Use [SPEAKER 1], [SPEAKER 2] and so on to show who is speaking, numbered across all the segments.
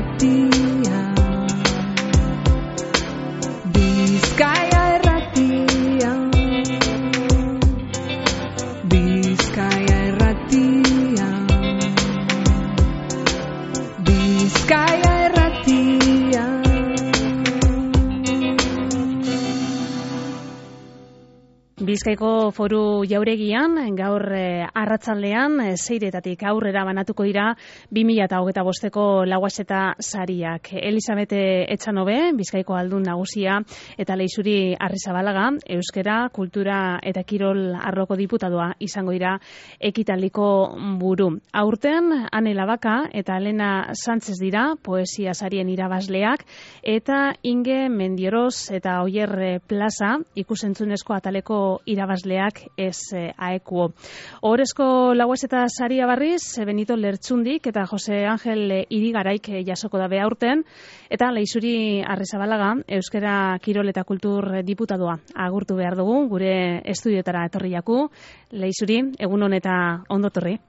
[SPEAKER 1] Irratia, Bizkaia Irratia, Bizkaia Irratia, Bizkaia Irratia.
[SPEAKER 2] Bizkaiko Foru Jauregian, gaur arratsaldean 6:00 aurrera banatuko dira 2025ko Lauaxeta sariak. Elisabete Etxanobe, Bizkaiko Aldun Nagusia, eta Leixuri Arrizabalaga, Euskara, Kultura eta Kirol arloko diputadoa izango dira ekitaldiko buru. Aurten, Ane Labaka eta Elena Sánchez dira poesia sarien irabazleak, eta Inge Mendioroz eta Oier Plaza ikusentzunezko ataleko irabazleak ez aekuo. Ohorezko Lauaxeta saria berriz, Benito Lertxundik eta Jose Angel Irigaraik jasoko dabe aurten, eta Leixuri Arrizabalaga, Euskara, Kirol eta Kultur diputadoa agurtu behar dugu, gure estudiotara etorri jaku. Leixuri, egunon eta ondo torri.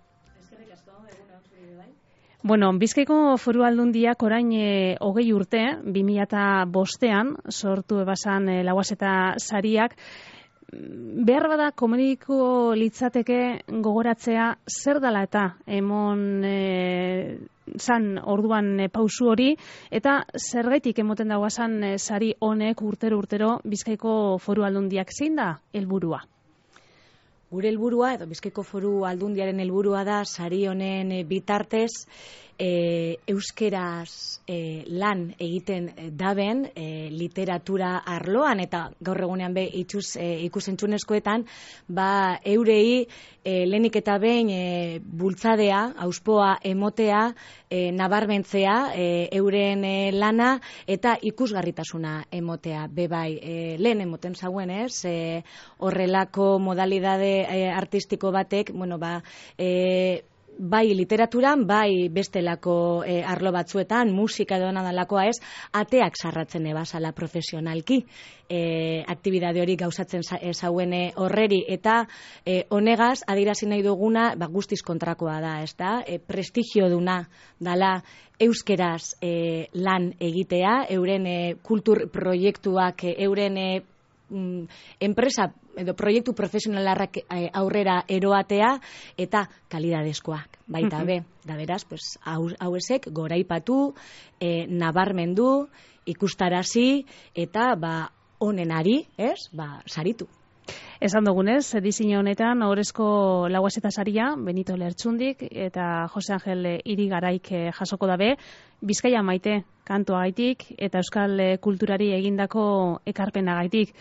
[SPEAKER 2] Bueno, Bizkaiko Foru Aldundiak orain 20 urte, 2005an sortu ebasan Lauaxeta sariak. Behar bada komuniko litzateke gogoratzea zer dela eta emon zan orduan pausu hori, eta zergaitik emoten dagoazan sari honek urtero Bizkaiko Foru Aldundiak zein da helburua?
[SPEAKER 3] Gure helburua, edo Bizkaiko Foru Aldundiaren helburua da sari honen bitartez euskeraz lan egiten daben literatura arloan, eta gaur egunean be ikusentzunezkoetan eurei lehenik eta behin bultzadea, auspoa emotea, nabarmentzea euren lana eta ikusgarritasuna emotea. Bebai, lehen emoten zauen horrelako modalidade artistiko batek, bai literaturan, bai bestelako arlo batzuetan, musika edo nadalakoa ateak sarratzen ebasala profesionalki. Aktibidade hori gauzatzen zauen horreri, eta honegaz, adirazi nahi duguna, guztiz kontrakoa da, ez da? Prestigio duna dala euskeraz lan egitea, euren kultur proiektuak, euren enpresa edo proiektu profesionalarrak aurrera eroatea eta kalidadezkoak. Baita be, da beraz, hauesek goraipatu, nabarmendu, ikustarazi eta onenari, saritu.
[SPEAKER 2] Esan dugunez, edizio honetan ohorezko Lauaxeta saria Benito Lertxundik eta Jose Angel Irigaraik jasoko dabe, Bizkaia maite kantuagaitik eta euskal kulturari egindako ekarpenagaitik.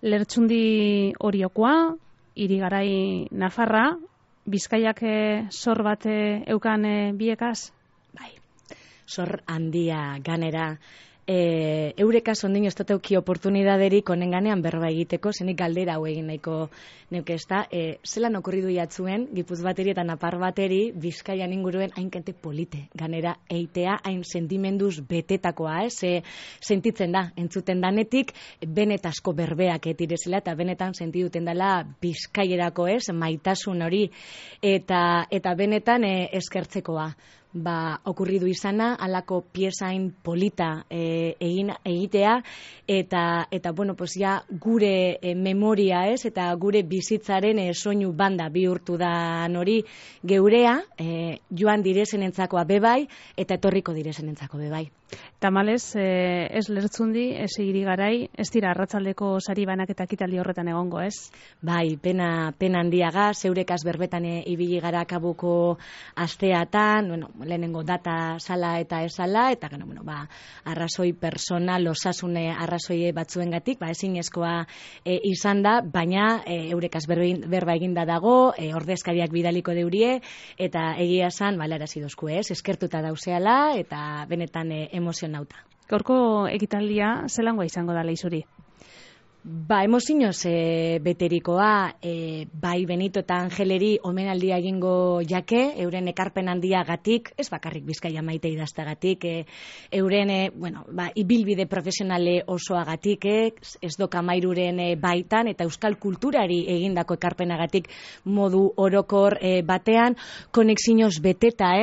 [SPEAKER 2] Lertxundi Oriokoa, Irigarai Nafarra, Bizkaiak zor bat eukan biekaz?
[SPEAKER 3] Bai, zor handia ganera. Eurekaz ondin ez duteuki oportunidaderik honen ganean berba egiteko, zenik galdera hau egin nahiko neuke ez da. Zelan okurridu jatzuen, Gipuz bateri eta Napar bateri, Bizkaian inguruen hainkente polite ganera eitea, hain sentimenduz betetakoa, sentitzen da, entzuten danetik, benetazko berbeak direzela, eta benetan sentiduten dela Bizkaierako maitasun hori, eta benetan eskertzekoa. Okurridu izana, alako piezain polita egitea, eta gure memoria eta gure bizitzaren soinu banda bihurtu da hori geurea, joan direzenentzakoa bebai, eta etorriko direzenentzako bebai.
[SPEAKER 2] Tamalez, ez Lertxundi, ez Irigarai, ez dira arratsaldeko sari banak eta ekitaldi horretan egongo, ez?
[SPEAKER 3] Bai, pena handiaga, zeurekaz berbetan ibili gara kabuko asteatan, lehenengo data sala eta esala, eta arrazoi personal, osasune arrazoi batzuengatik, ezinezkoa izan da, baina eurekaz berba eginda dago, ordezkariak bidaliko deurie, eta egia esan, balarazi dozku, eskertuta dauzeala, eta benetan emozionauta.
[SPEAKER 2] Gaurko ekitaldia zelangoa izango da Leixuri?
[SPEAKER 3] Emozioz beterikoa, bai Benito eta Angeleri omenaldia egingo jake, euren ekarpen handiagatik, ez bakarrik Bizkaia maite idaztagatik, euren, ibilbide profesionale osoagatik, ez doka mairuren baitan, eta euskal kulturari egindako ekarpenagatik modu orokor batean, konexioz beteta,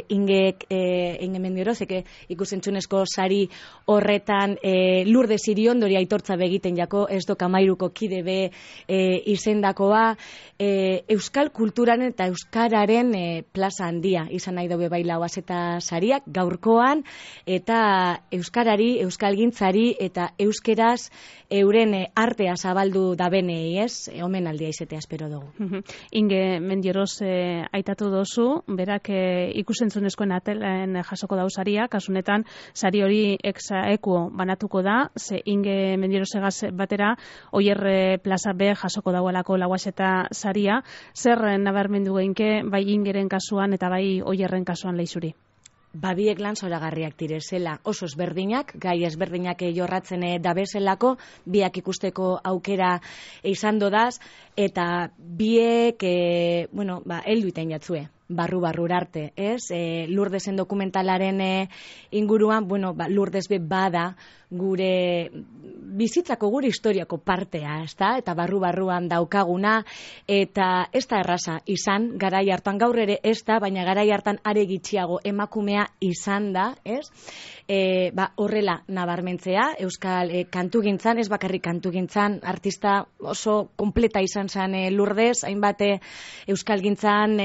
[SPEAKER 3] Inge Mendiorozek ikusentzunezko sari horretan Lourdes Iriondori aitortza begiten jako, ez doka mairuko kide be izendakoa, euskal kulturaren eta euskararen plaza handia izan nahi daue bai Lauaxeta sariak gaurkoan, eta euskarari, euskalgintzari eta euskeraz euren artea zabaldu dabenei, omenaldia izatea espero dugu.
[SPEAKER 2] Inge Mendioroz aitatu dozu, berak ikusentzunezkoen atelen jasoko dau saria, kasunetan sari hori ekuo banatuko da, ze Inge Mendiorozegaz batera Oier plaza B jasoko dauelako Lauaxeta saria, zer nabarmendu geinke bai Ingeren kasuan eta bai Oierren kasuan Leixuri?
[SPEAKER 3] Biek lan zoragarriak direzela, oso ezberdinak, gai ezberdinak jorratzen dabezelako, biak ikusteko aukera izan dodaz, eta biek, heldu iten jatzue. Barru arte, Lourdesen dokumentalaren inguruan, Lourdes be bada gure bizitzako, gure historiako partea, eta barruan daukaguna, eta ez da erraza izan, garai hartan gaur ere ez da, baina garai hartan are gitxiago emakumea izan da, horrela nabarmentzea, euskal kantugintzan, ez bakarrik kantugintzan, artista oso kompleta izan zen Lourdes, hainbat euskalgintzan,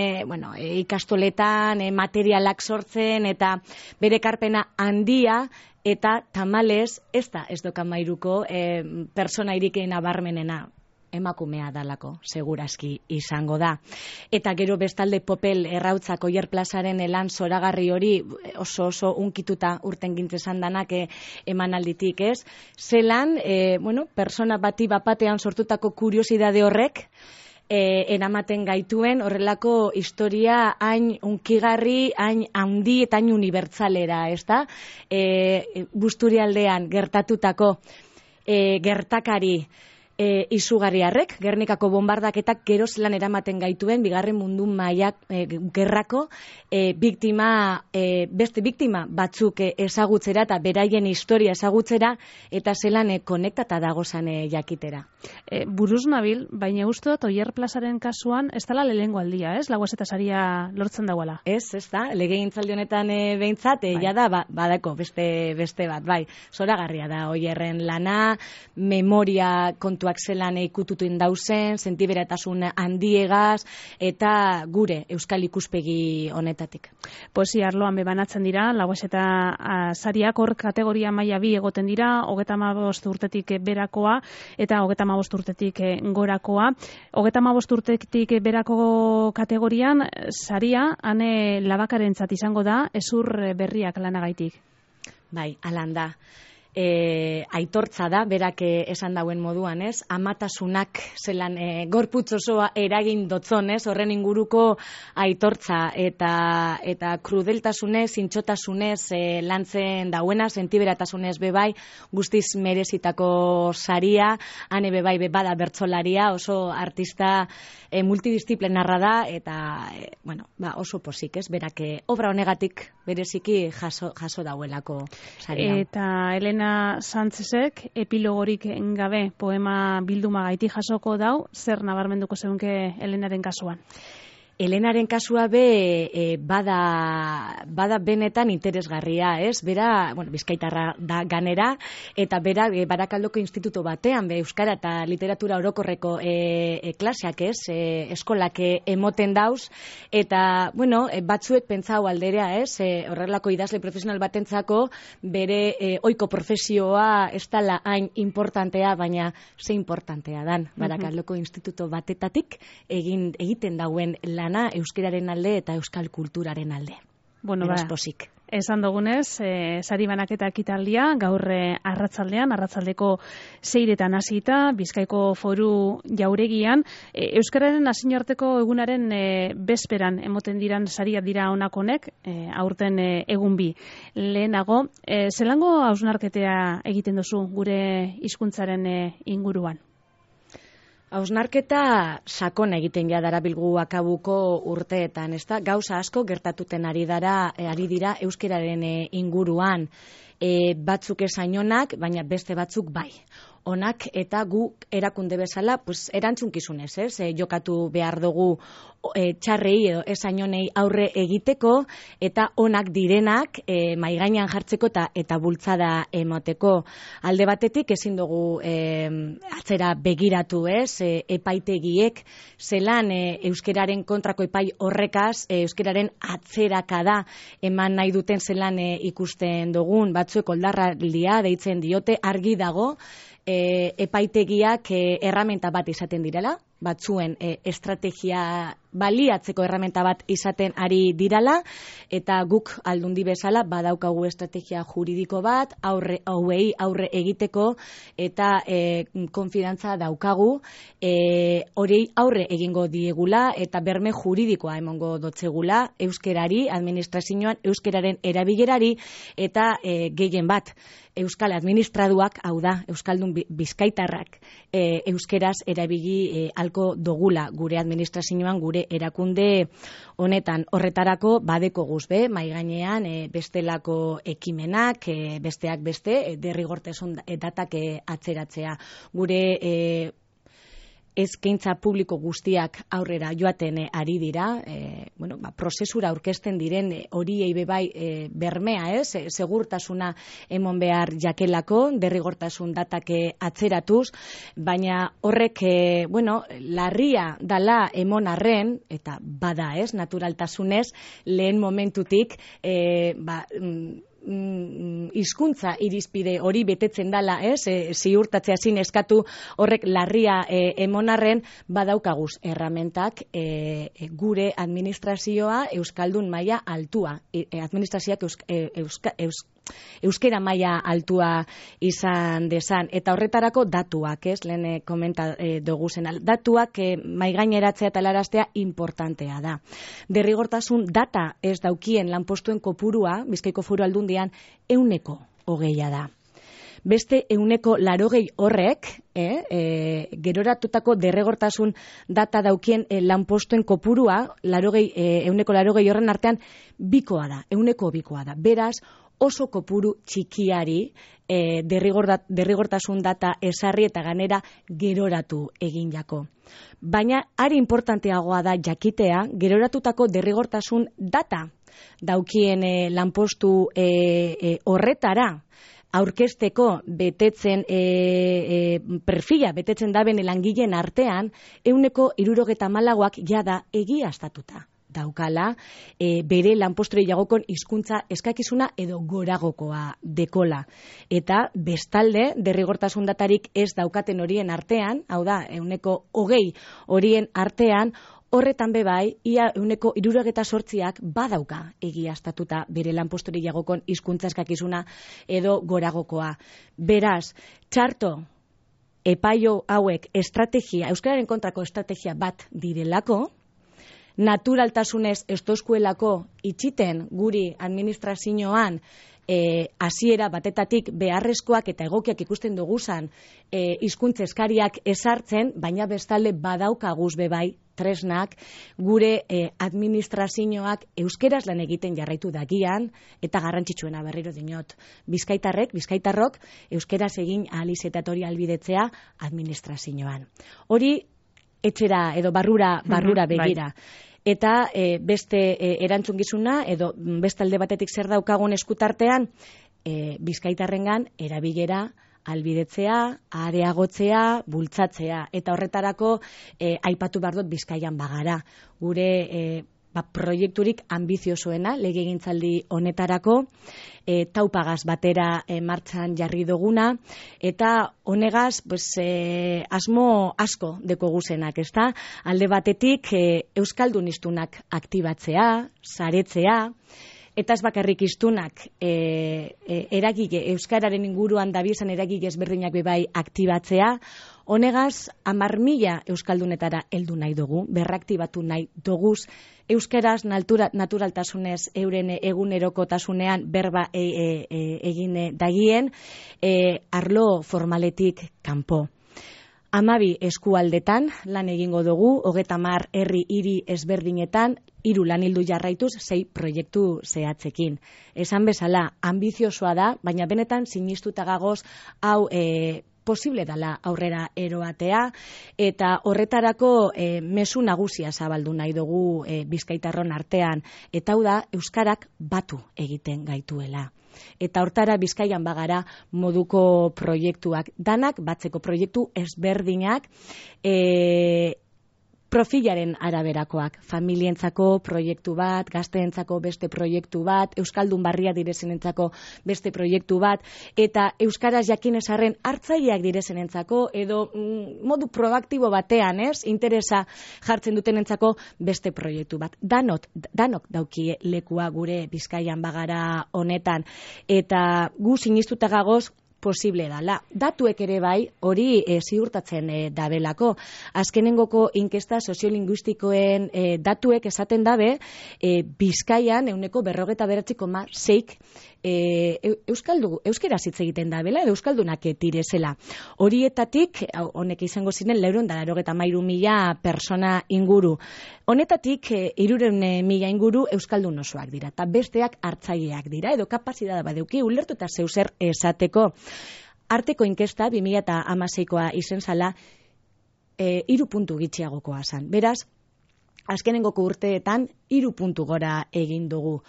[SPEAKER 3] ikastoletan, materialak sortzen, eta bere ekarpena handia, eta tamalez ez doka mairuko persona irikein nabarmenena emakumea dalako, segurazki izango da. Eta gero bestalde Popel Errautzak Oier plazaren lan zoragarri hori oso unkituta urten gintzezan danak emanalditik, Zelan, persona bati bapatean sortutako kuriosidade horrek, eramaten gaituen horrelako historia hain unkigarri, hain handi eta hain unibertsalera, Busturialdean gertatutako gertakari izugarriarrek, Gernikako bombardaketak gero zelan eramaten gaituen bigarren mundu mailak gerrako beste biktima batzuk ezagutzera eta beraien historia ezagutzera, eta zelan konektata dagozan jakitera.
[SPEAKER 2] Buruz nabil, baina uste dut Oier plazaren kasuan ez dela lehengo aldia, Lauaxeta saria lortzen dagoela?
[SPEAKER 3] Ez da, legegintzaldi honetan behintzat, jada badako beste bat, bai, zoragarria da Oierren lana, memoria kontua zelan ikututu indauzen, sentiberatasun handiegaz, eta gure euskal ikuspegi honetatik.
[SPEAKER 2] Poesia arloan bebanatzen dira, Lauaxeta sariak hor kategoria maila 2 egoten dira, 35 urtetik berakoa, eta 35 urtetik gorakoa. 35 urtetik berako kategorian, saria, ane labakarentzat izango da, ezur berriak lanagaitik.
[SPEAKER 3] Bai, alan da. Aitortza da, berak esan dauen moduan, amatasunak zelan gorputz osoa eragin dotzon, horren inguruko aitortza eta krudeltasunez, zintxotasunez lantzen dauena, sentiberatasunez bebai, guztiz merezitako saria, hane bebai bebada bertsolaria, oso artista multidisciplinarra da, eta oso posik, berak obra honegatik bereziki jaso dauelako saria.
[SPEAKER 2] Eta Elena Sánchezek epilogorik gabe poema bilduma gaiti jasoko dau, zer nabarmenduko zeunke Elenaren kasuan?
[SPEAKER 3] Elenaren kasua bada benetan interesgarria, Bera, bizkaitarra da ganera, eta bera Barakaldoko instituto batean, euskara eta literatura orokorreko klaseak, eskolak emoten dauz, eta, batzuek pentsau alderea, horrelako idazle profesional batentzako bere ohiko profesioa ez dela hain importantea, baina ze importantea dan Barakaldoko instituto batetatik egiten dauen lan euskararen alde eta euskal kulturaren alde.
[SPEAKER 2] Bueno,
[SPEAKER 3] beraz pozik.
[SPEAKER 2] Esan dugunez, sari banaketa ekitaldia gaur arratsaldeko 6etan hasita, Bizkaiko Foru Jauregian, euskararen nazioarteko egunaren bezperan emoten diran sariak dira honakonek, aurten egun bi. Lehenago, zelango hausnarketea egiten duzu gure hizkuntzaren inguruan?
[SPEAKER 3] Hausnarketa sakona egiten ja darabilgu akabuko urteetan, ezta? Gauza asko gertatuten ari dira euskararen inguruan, batzuk esainonak, baina beste batzuk bai. Onak eta gu erakunde bezala, pues erantzunkizunez, jokatu behar dugu txarrei edo esainonei aurre egiteko eta onak direnak maigainan jartzeko eta bultzada emoteko. Alde batetik ezin dugu atzera begiratu, epaitegiek zelan euskararen kontrako epai horrekaz euskararen atzerakada eman nahi duten zelan ikusten dugun, batzuek oldarraldia deitzen diote, argi dago epaitegiak erramenta bat izaten direla, batzuen estrategia baliatzeko erramenta bat izaten ari dirala, eta guk aldundi bezala badaukagu estrategia juridiko bat, aurre egiteko, eta konfidantza daukagu, hori aurre egingo diegula, eta berme juridikoa emongo dotzegula, euskerari, administrazioan, euskeraren erabilerari, eta gehien bat, euskal administraduak, hau da, euskaldun bizkaitarrak, euskeraz erabili alko dogula gure administrazioan, gure erakunde honetan. Horretarako badeko guzbe, maigainean bestelako ekimenak, besteak beste, derrigortasun datak atzeratzea. Gure eskaintza publiko guztiak aurrera joaten ari dira, prozesura aurkezten diren horiei bebai bermea, segurtasuna emon behar jakelako, derrigortasun datak atzeratuz, baina horrek, larria dala emon arren, eta bada, naturaltasunez, lehen momentutik, hizkuntza irizpide hori betetzen dala, ziurtatzea zin eskatu horrek larria emonarren, badaukaguz erramentak gure administrazioa euskaldun maila altua, administrazioak euskera maila altua izan desan, eta horretarako datuak, lehen komenta dugu zen, datuak maigaineratzea eta laraztea importantea da. Derrigortasun data ez daukien lanpostuen kopurua, Bizkaiko Foru Aldundian, 100% da. Beste 180 horrek, geroratutako derrigortasun data daukien lanpostuen kopurua, 180 horren artean, bikoa da, 100% da. Beraz, oso kopuru txikiari derrigortasun data esarri eta ganera geroratu egin jako. Baina, ari importanteagoa da jakitea, geroratutako derrigortasun data daukien lanpostu horretara, aurkezteko betetzen perfila, betetzen daben langileen artean, 174ak jada egiaztatuta daukala, bere lanposturi jagokon hizkuntza eskakizuna edo goragokoa dekola. Eta bestalde, derrigortasun datarik ez daukaten horien artean, hau da, 120 horien artean, horretan bebai, ia 168ak badauka egiaztatuta bere lanposturi jagokon hizkuntza eskakizuna edo goragokoa. Beraz, txarto, epaio hauek estrategia, euskararen kontrako estrategia bat direlako, naturaltasunez estoskuelako itxiten guri administrazioan hasiera batetatik beharrezkoak eta egokiak ikusten duguzan hizkuntza eskariak ezartzen, baina bestalde badaukaguz bebai tresnak gure administrazioak euskeraz lan egiten jarraitu dagian, eta garrantzitsuena berriro dinot. Bizkaitarrok euskeraz egin ahal izetatori albidetzea administrazioan. Hori etxera edo barrura begira. Eta beste erantzunkizuna edo beste alde batetik zer daukagun eskutartean, bizkaitarrengan erabilera albidetzea, areagotzea, bultzatzea. Eta horretarako aipatu behar dut Bizkaian bagara. Gure proiekturik ambiziosoena legegintzaldi honetarako, taupagaz batera martxan jarri duguna, eta honegaz asmo asko deko guzenak, ezta? Alde batetik euskaldun hiztunak aktibatzea, saretzea, eta ez bakarrik hiztunak eragile euskararen inguruan dabizan eragile ezberdinak bebai aktibatzea. Honegaz, 10.000 euskaldunetara heldu nahi dugu, berraktibatu nahi doguz, euskaraz naturaltasunez euren egunerokotasunean berba egin dagien, arlo formaletik kanpo. 12 eskualdetan lan egingo dugu, 30 herri hiri ezberdinetan, 3 lanildu jarraituz, 6 proiektu zehatzekin. Esan bezala, ambiziosoa da, baina benetan sinistuta gagoz hau posible dela aurrera eroatea, eta horretarako mezu nagusia zabaldu nahi dugu bizkaitarron artean, eta hau da, euskarak batu egiten gaituela. Eta hortara Bizkaian bagara moduko proiektuak, danak batzeko proiektu ezberdinak, profilaren araberakoak, familientzako proiektu bat, gazteentzako beste proiektu bat, euskaldun barria direzenentzako beste proiektu bat, eta euskaraz jakinezarren hartzaileak direzenentzako, edo modu proaktibo batean, interesa jartzen dutenentzako beste proiektu bat. Danok daukie lekua gure Bizkaian bagara honetan, eta gu sinistuta gagoz posible dala. Datuek ere bai, hori ziurtatzen dabelako. Azkenengoko inkesta soziolinguistikoen datuek esaten dabe, Bizkaian 49,6 euskaraz hitz egiten dabela, edo euskaldunak direzela. Horietatik, honek izango ziren 493.000 persona inguru. Honetatik 300.000 inguru euskaldun osoak dira, eta besteak hartzaileak dira, edo kapazitatea badeuki ulertu eta zeuzer esateko. Arteko inkesta 2016koa izen zala 3 puntu gitxiagokoa zan. Beraz, azkenengoko urteetan 3 puntu gora egin dugu.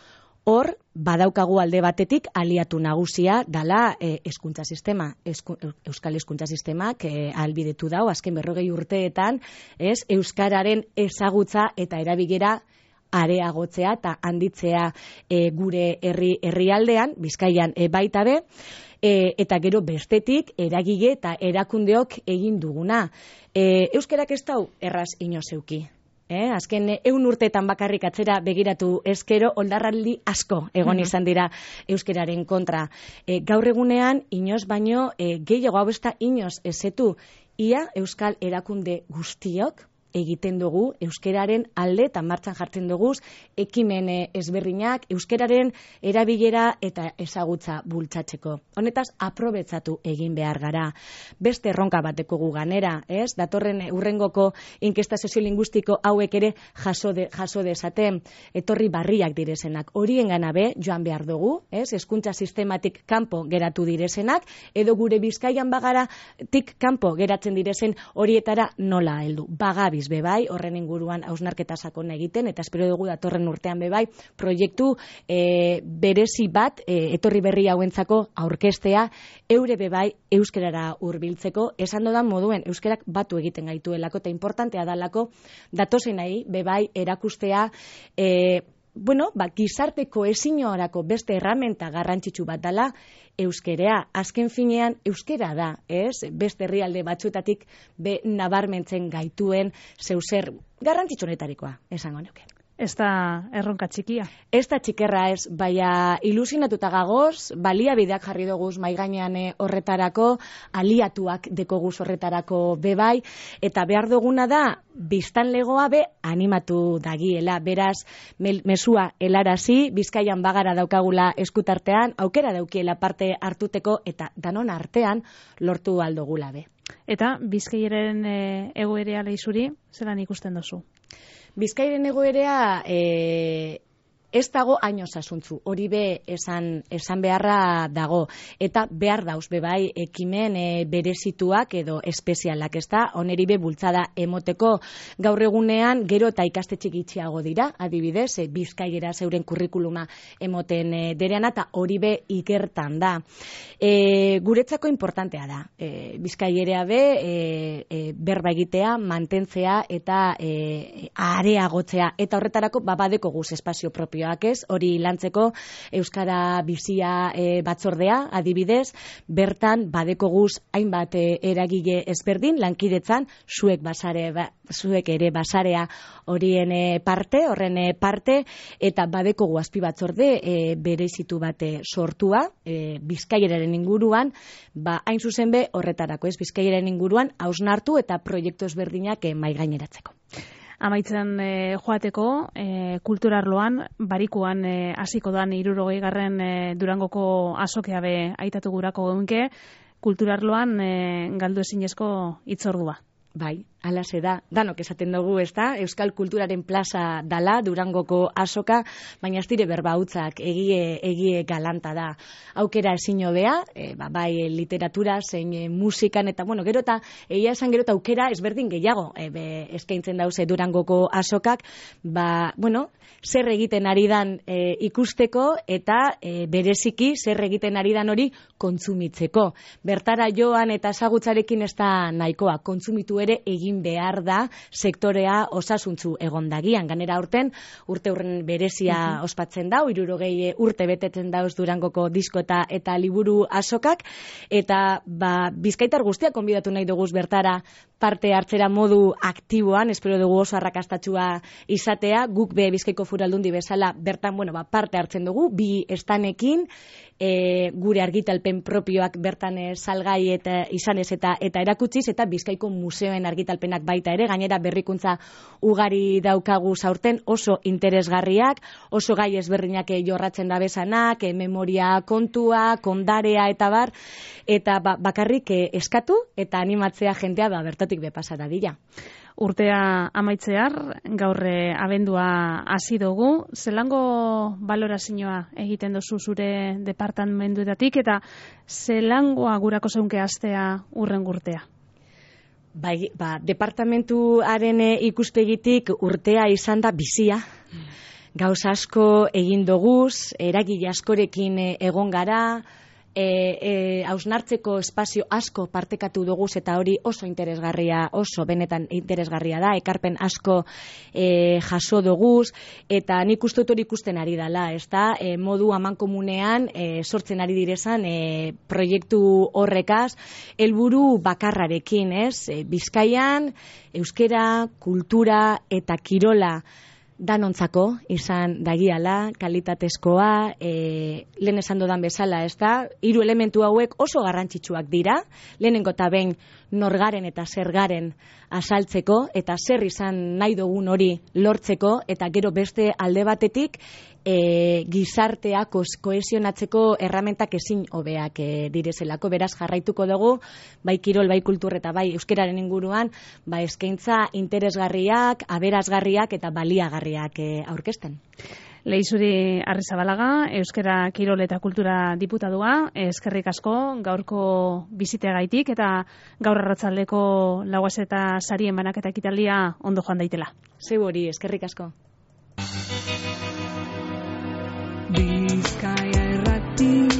[SPEAKER 3] Hor, badaukagu alde batetik aliatu nagusia dala hezkuntza sistema. Euskal hezkuntza sistemak ahalbidetu dau azken 40 urteetan, euskararen ezagutza eta erabilera areagotzea eta handitzea gure herrialdean, Bizkaian baita be, eta gero bestetik eragile eta erakundeok egin duguna. Euskarak ez dau erraz inozeuki. Azken 100 urteetan bakarrik atzera begiratu ezkero, oldarraldi asko egon izan dira euskararen kontra. Gaur egunean, inoz baino, gehiago hau ez da inoz ezetu, ia euskal erakunde guztiok egiten dugu euskararen alde eta martxan jartzen dugu ekimen ezberdinak euskararen erabilera eta ezagutza bultzatzeko. Honetaz, aprobetzatu egin behar gara. Beste erronka bateko gu ganera, datorren urrengoko inkesta soziolinguistiko hauek ere jaso dezaten, etorri barriak direzenak. Horien gana be, joan behar dugu, hezkuntza sistematik kanpo geratu direzenak, edo gure Bizkaian bagaratik kanpo geratzen direzen horietara nola heldu. Bagabiz bebai, horren inguruan hausnarketa sakon egiten, eta espero dugu datorren urtean bebai, proiektu berezi bat, etorri berri hauentzako aurkestea, eure bebai euskarara hurbiltzeko, esan dodan moduen euskarak batu egiten gaituelako, eta importantea dalako, datozen nahi, bebai erakustea, gizarte kohesioarako beste erramenta garrantzitsu bat dela euskerea. Azken finean euskera da, beste herrialde batzuetatik nabarmentzen gaituen zeuzer garrantzitsunetarikoa, esango nuke.
[SPEAKER 2] Ez da erronka txikia.
[SPEAKER 3] Ez da txikerra ez, baina ilusionatuta gagoz, baliabideak jarri doguz maigainean horretarako, aliatuak dekoguz horretarako bebai, eta behar duguna da, biztanlegoa animatu dagiela, beraz, mesua helarazi, Bizkaian bagara daukagula eskutartean, aukera daukiela parte hartuteko, eta danon artean lortu aldogula be.
[SPEAKER 2] Eta Bizkaiaren egoerea lehizuri, zelan ikusten dozu?
[SPEAKER 3] Bizkairen egoerea ez dago haino sasuntzu, hori be esan beharra dago, eta behar dauz bebai ekimen berezituak edo espezialak, ez da, oneri be bultzada emoteko gaur egunean gero eta ikastetxe gitxiago dira, adibidez, Bizkaiera zeuren kurrikuluma emoten dereana, eta hori be ikertan da. Guretzako importantea da, Bizkaiera be berba egitea, mantentzea eta areagotzea, eta horretarako babadeko guz espazio propio territorioak ez, hori lantzeko Euskara bizia batzordea, adibidez, bertan badekoguz hainbat eragile ezberdin, lankidetzan, zuek ere basarea horren parte, eta badekogu azpi batzorde berezitu bate sortua, Bizkaieraren inguruan, hain zuzen be horretarako, ez Bizkaieraren inguruan hausnartu eta proiektu ezberdinak maigaineratzeko.
[SPEAKER 2] Amaitzen joateko, kulturarloan, barikuan hasiko dan 60. Durangoko azokea be aitatu gurako geunke, kulturarloan galdu ezinezko hitzordua.
[SPEAKER 3] Bai, alase da. Danok esaten dugu, ez da? Euskal kulturaren plaza dala, Durangoko azoka, baina ez dire berba hutzak, egie galanta da. Aukera ezin hobea, bai literatura, zein musikan, eta gero eta, egia esan gero eta aukera ezberdin gehiago, eskaintzen dauze Durangoko azokak, zer egiten ari dan ikusteko, eta bereziki zer egiten ari dan hori kontsumitzeko. Bertara joan eta ezagutzarekin ez da nahikoa, kontsumitu ere egin behar da sektorea osasuntzu egondagian. Ganera urte urren berezia ospatzen dau, 60 urte betetzen dauz Durangoko disko eta liburu azokak, eta bizkaitar guztiak konbidatu nahi duguz bertara parte hartzera modu aktiboan, espero dugu oso arrakastatsua izatea, guk be Bizkaiko Foru Aldundi bezala bertan parte hartzen dugu, 2 estanekin, gure argitalpen propioak bertan salgai eta izanez eta erakutsiz, eta Bizkaiko museoen argitalpenak baita ere, gainera berrikuntza ugari daukagu zaurten, oso interesgarriak, oso gai ezberdinak jorratzen da bezanak, memoria kontua, kondarea eta bar, eta bakarrik eskatu eta animatzea jentea bertatik bepasa dadila.
[SPEAKER 2] Urtea amaitzear, gaur abendua hasi dugu, zelango balorazioa egiten dozu zure departamentuetatik eta zelangoa gurako zeunke astea urren urtea?
[SPEAKER 3] Bai, departamentuaren ikuspegitik urtea izan da bizia. Gauz asko egin doguz, eragile askorekin egon gara, hausnartzeko espazio asko partekatu doguz eta hori oso interesgarria, oso benetan interesgarria da, ekarpen asko jaso doguz, eta nik uste hori ikusten ari dela, ez da, modu amankomunean sortzen ari direzan proiektu horrekaz, helburu bakarrarekin, ez? Bizkaian, euskera, kultura eta kirola danontzako izan dagiala, kalitatezkoa, lehen esan dodan bezala, ez da, 3 elementu hauek oso garrantzitsuak dira, lehenengo eta behin norgaren eta zergaren azaltzeko, eta zer izan nahi dugun hori lortzeko, eta gero beste alde batetik, gizartea kohesionatzeko erramentak ezin hobeak direzelako, beraz jarraituko dugu, bai kirol, bai kultur eta bai euskeraren inguruan, eskaintza interesgarriak, aberasgarriak eta baliagarriak aurkezten.
[SPEAKER 2] Lehizuri Arrizabalaga, Euskera Kirol eta Kultura diputadua, eskerrik asko gaurko biziteagaitik eta gaur arratsaldeko lauaz eta sarien banaketa ekitaldia ondo joan daitela.
[SPEAKER 3] Zeu hori, eskerrik asko.
[SPEAKER 1] Bizkaia Irratia.